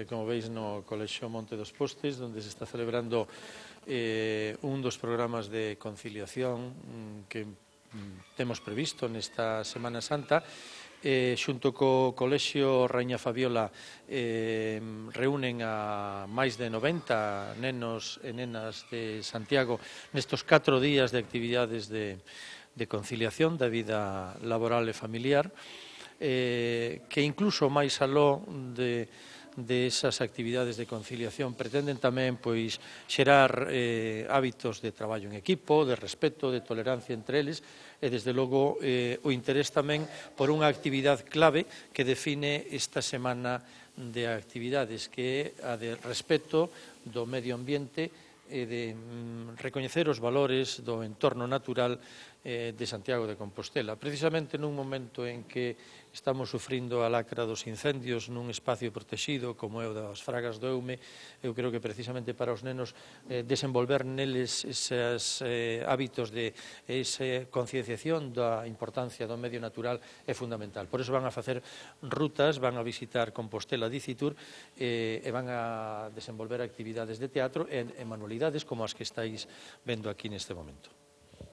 Como veis no Colexio Monte dos Postes, onde se está celebrando un dos programas de conciliación que temos previsto nesta Semana Santa. Xunto co Colexio Raíña Fabiola reúnen a máis de 90 nenos e nenas de Santiago nestos 4 días de actividades de conciliación da vida laboral e familiar, que incluso máis aló de esas actividades de conciliación pretenden tamén xerar hábitos de traballo en equipo, de respeto, de tolerancia entre eles e, desde logo, o interés tamén por unha actividade clave que define esta semana de actividades, que é a de respeto do medio ambiente e de recoñecer os valores do entorno natural de Santiago de Compostela. Precisamente nun momento en que estamos sufrindo a lacra dos incendios nun espacio protexido como é o das Fragas do Eume, eu creo que precisamente para os nenos desenvolver neles eses hábitos de esa concienciación da importancia do medio natural é fundamental. Por iso van a facer rutas, van a visitar Compostela Dicitur e van a desenvolver actividades de teatro e manualidades como as que estáis vendo aquí neste momento.